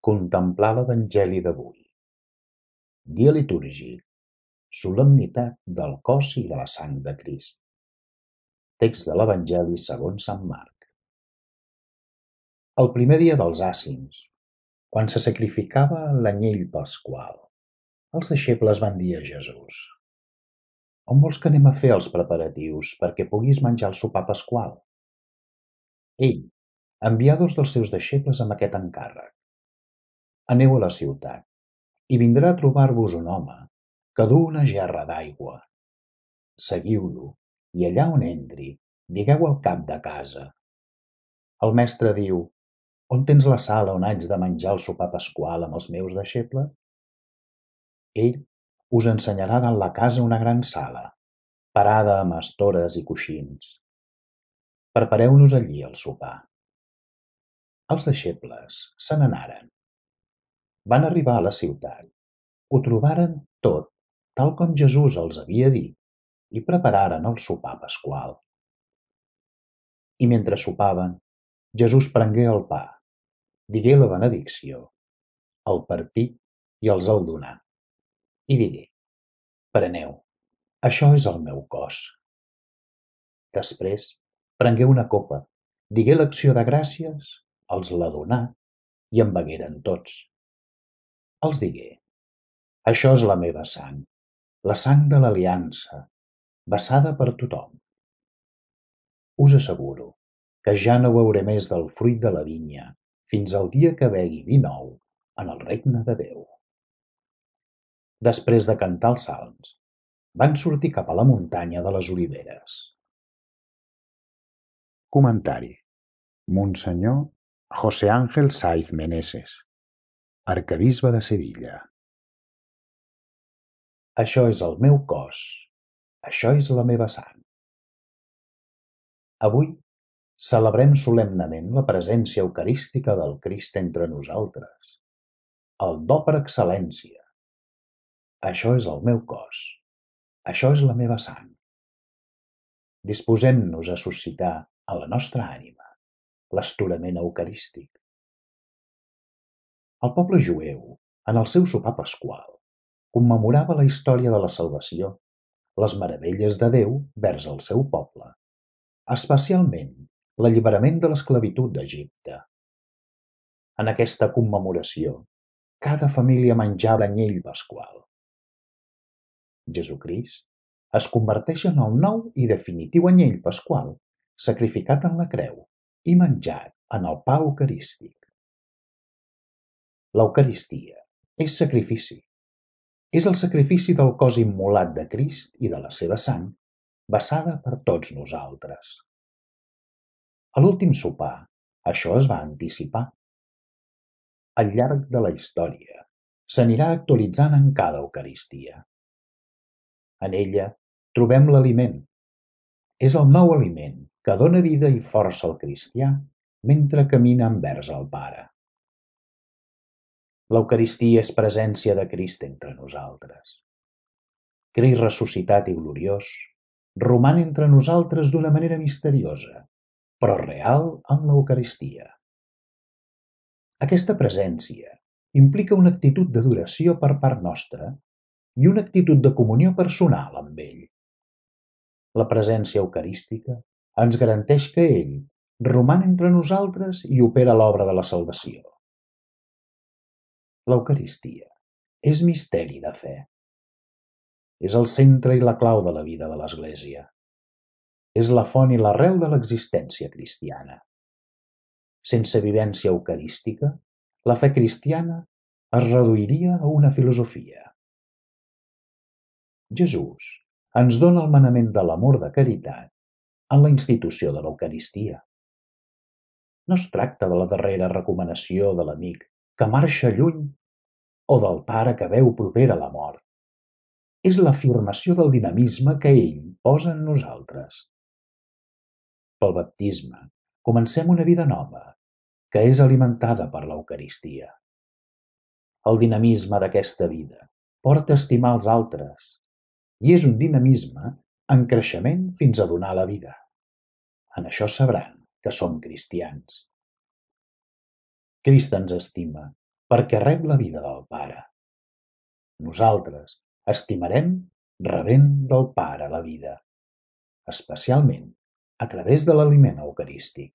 Contemplar l'Evangeli d'avui. Dia litúrgic, solemnitat del cos i de la sang de Crist. Text de l'Evangeli segons Sant Marc. El primer dia dels àcins, quan se sacrificava l'anyell pasqual, els deixebles van dir a Jesús: «On vols que anem a fer els preparatius perquè puguis menjar el sopar pasqual?» Ell envià dos dels seus deixebles amb aquest encàrrec: «Aneu a la ciutat, i vindrà a trobar-vos un home que duu una gerra d'aigua. Seguiu-lo, i allà on entri, digueu al cap de casa: el mestre diu, on tens la sala on haig de menjar el sopar pasqual amb els meus deixebles? Ell us ensenyarà dalt la casa una gran sala, parada amb estores i coixins. Prepareu-nos allí el sopar». Els deixebles se n'anaren. Van arribar a la ciutat, ho trobaren tot tal com Jesús els havia dit i prepararen el sopar pasqual. I mentre sopaven, Jesús prengué el pa, digué la benedicció, el partí i els el donà. I digué: «Preneu, això és el meu cos». Després prengué una copa, digué l'acció de gràcies, els la donà i en begueren tots. Els digué: «Això és la meva sang, la sang de l'aliança, vessada per tothom. Us asseguro que ja no beuré més del fruit de la vinya fins al dia que begui vi nou en el regne de Déu». Després de cantar els salms, van sortir cap a la muntanya de les Oliveres. Comentari. Monsenyor José Ángel Saiz Meneses, arquebisbe de Sevilla. Això és el meu cos, això és la meva sang. Avui celebrem solemnement la presència eucarística del Crist entre nosaltres, el do per excel·lència. Això és el meu cos, això és la meva sang. Disposem-nos a suscitar a la nostra ànima l'estorament eucarístic. El poble jueu, en el seu sopar pasqual, commemorava la història de la salvació, les meravelles de Déu vers el seu poble, especialment l'alliberament de l'esclavitud d'Egipte. En aquesta commemoració, cada família menjava l'anyell pasqual. Jesucrist es converteix en el nou i definitiu anyell pasqual, sacrificat en la creu i menjat en el pa eucarístic. L'Eucaristia és sacrifici. És el sacrifici del cos immolat de Crist i de la seva sang, vessada per tots nosaltres. A l'últim sopar, això es va anticipar. Al llarg de la història, s'anirà actualitzant en cada Eucaristia. En ella trobem l'aliment. És el nou aliment que dona vida i força al cristià mentre camina envers el Pare. L'Eucaristia és presència de Crist entre nosaltres. Crist ressuscitat i gloriós roman entre nosaltres d'una manera misteriosa, però real en l'Eucaristia. Aquesta presència implica una actitud d'adoració per part nostra i una actitud de comunió personal amb ell. La presència eucarística ens garanteix que ell roman entre nosaltres i opera l'obra de la salvació. L'Eucaristia és misteri de fe. És el centre i la clau de la vida de l'Església. És la font i l'arrel de l'existència cristiana. Sense vivència eucarística, la fe cristiana es reduiria a una filosofia. Jesús ens dona el manament de l'amor de caritat en la institució de l'Eucaristia. No es tracta de la darrera recomanació de l'amic que marxa lluny o del pare que veu propera la mort. És l'afirmació del dinamisme que ell posa en nosaltres. Pel baptisme comencem una vida nova, que és alimentada per l'Eucaristia. El dinamisme d'aquesta vida porta a estimar els altres i és un dinamisme en creixement fins a donar la vida. En això sabran que som cristians. Crist ens estima perquè rep la vida del Pare. Nosaltres estimarem rebent del Pare la vida, especialment a través de l'aliment eucarístic.